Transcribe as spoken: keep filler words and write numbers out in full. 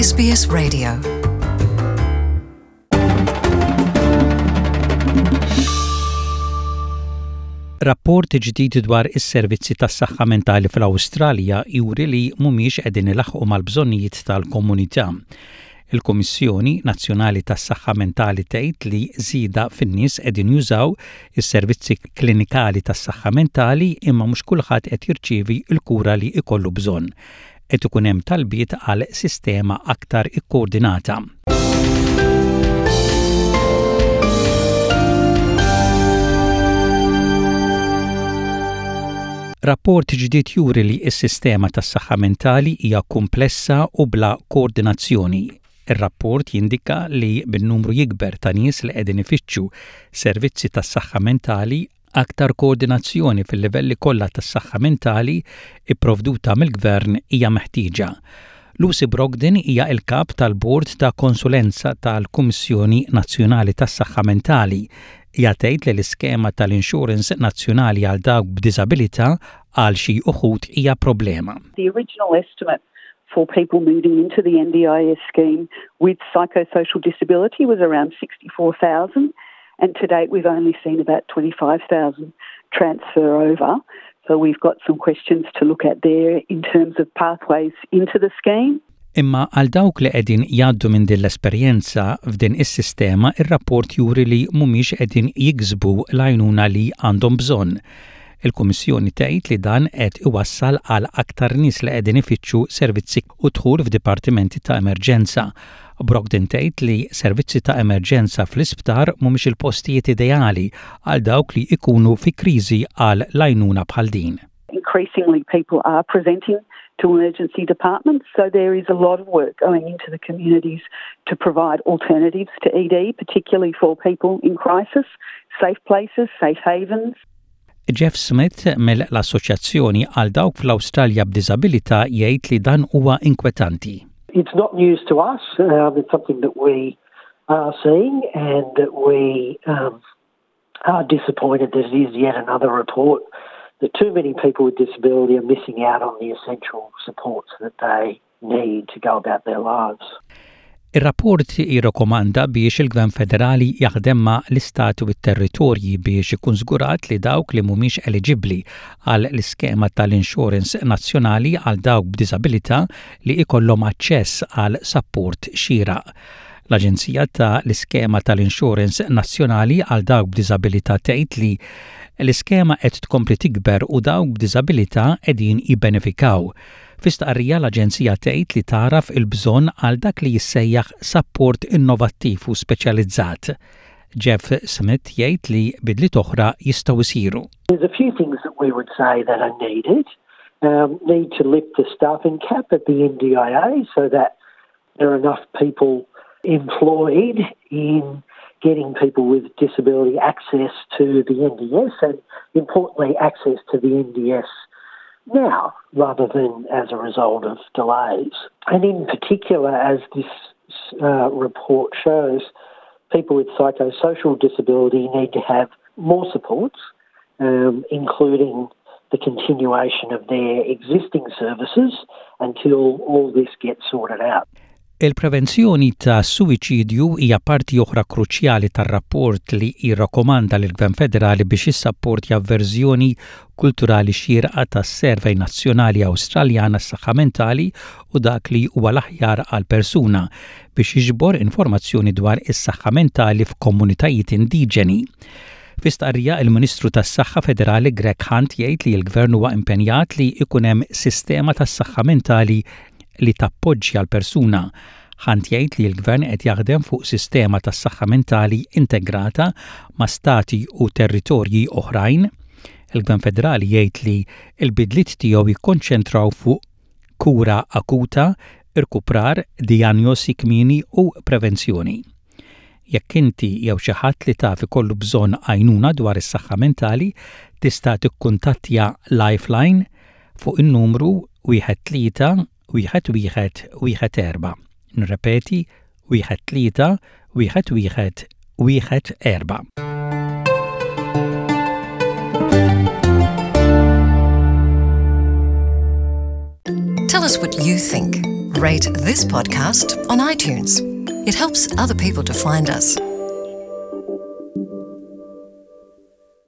S B S Radio. Rapport ġdid dwar is-servizzi tas-saħħa mentali fl-Awstralja juri li mhumiex qegħdin ilaħħqu mal-bżonnijiet tal-komunità. Il-Kummissjoni Nazzjonali tas-Saħħa Mentali tgħid li żieda fin-nies qegħdin jużaw is-servizzi klinikali tas-saħħa mentali, imma mhux kulħadd qed jirċievi l-kura li jkollu bżonn. Qed ikun hemm talbiet għal sistema aktar ikkoordinata. Rapport ġdid juri li s-sistema tas-saħħa mentali hija komplessa u bla koordinazzjoni. Ir-rapport jindika li bin-numru jikber ta' nies li qegħdin ifittxu servizzi tas-saħħa mentali, aktar koordinazzjoni fil-livelli kollha tas-saħħa mentali ipprovduta mill-gvern hija meħtieġa. Lucy Brogden hija il-kap tal-Bord ta' Konsulenza tal-Kummissjoni Nazzjonali tas-Saħħa Mentali. Hija tgħid li l-iskema tal-Insurance Nazzjonali għal dawk b'diżabilità għal xi uħud hija problema. The original estimate for people moving into the N D I S scheme with psychosocial disability was around sixty-four thousand, and to date we've only seen about twenty-five thousand transfer over. So we've got some questions to look at there in terms of pathways into the scheme. Imma għal dawk li qegħdin jgħaddu minn din l-esperjenza f'din is-sistema, ir-rapport juri li mhumiex qegħdin jiksbu l-għajnuna li għandhom bżonn. Il-Kummissjoni tgħid li dan qed iwassal għal aktar nies li qegħdin ifittxu servizzi u dħul f'dipartimenti ta' emerġenza. Brogden tgħid li servizzi ta' emerġenza fl-isptar mhumiex il-postijiet ideali għal dawk li ikunu fi kriżi għal l-għajnuna bħal din. Increasingly, people are presenting to emergency departments, so there is a lot of work going into the communities to provide alternatives to E D, particularly for people in crisis, safe places, safe havens. Jeff Smith mill-Assoċjazzjoni għal dawk fl-Awstralja b'Diżabilità jgħid li dan huwa inkwetanti. It's not news to us. Um, it's something that we are seeing and that we um, are disappointed that it is yet another report that too many people with disability are missing out on the essential supports that they need to go about their lives. Ir-rapport jirrakkomanda biex il-Gvern Federali jaħdem ma' l-istati u t-territorji biex ikun żgurat li dawk li mhumiex eliġibbli għal l-iskema tal-Insurance Nazzjonali għal dawk b'diżabilità li ikollhom aċċess għal sapport xieraq. L-Aġenzija ta' l-Iskema tal-Insurance Nazzjonali għal dawk b'diżabilità tgħid li l-iskema qed tkompli tikber u dawk b'diżabilità qegħdin jibbenefikaw. Fi stqarrija, l-Aġenzija tgħid li tagħraf il-bżonn għal dak li jissejjaħ sapport innovattiv u speċjalizzat. Jeff Smith jgħid li bidliet oħra jistgħu jsiru. There's a few things that we would say that are needed. Um, need to lift the staffing cap at the N D I A so that there are enough people employed in getting people with disability access to the N D I S and, importantly, access to the N D I S now rather than as a result of delays. And in particular, as this uh, report shows, people with psychosocial disability need to have more supports, um, including the continuation of their existing services until all this gets sorted out. Il-prevenzjoni ta' suwiċidju hija parti oħra kruċjali tar-rapport li jirrakkomanda lill-Gvern Federali biex jissapportja verżjoni kulturali xierqa tas-Survey Nazzjonali Awstraljana s-Saħħa Mentali u dak li huwa l-aħjar għal persuna biex jiġbor informazzjoni dwar is-saħħa mentali f'komunitajiet indiġeni. Fi stqarrija, il-Ministru tas-Saħħa Federali Greg Hunt jgħid li l-Gvern huwa impenjat li ikun hemm sistema tas-saħħa mentali li tappoġġja l-persuna. Hunt jgħid li l-gvern qed jaħdem fuq sistema tas-saħħa mentali integrata ma' stati u territorji oħrajn. Il-Gvern Federali jgħid li l-bidliet tiegħu jikkonċentraw fuq kura akuta, irkuprar, dijanjosi kmieni u prevenzjoni. Jekk inti jew xi ħadd li taf ikollu bżonn għajnuna dwar is-saħħa mentali, tista' tikkuntattja Lifeline fuq in-numru wieħed tlieta wieħed wieħed wieħed erba'. Nirrepeti, wieħed tlieta wieħed wieħed wieħed erba'. Tell us what you think. Rate this podcast on iTunes. It helps other people to find us.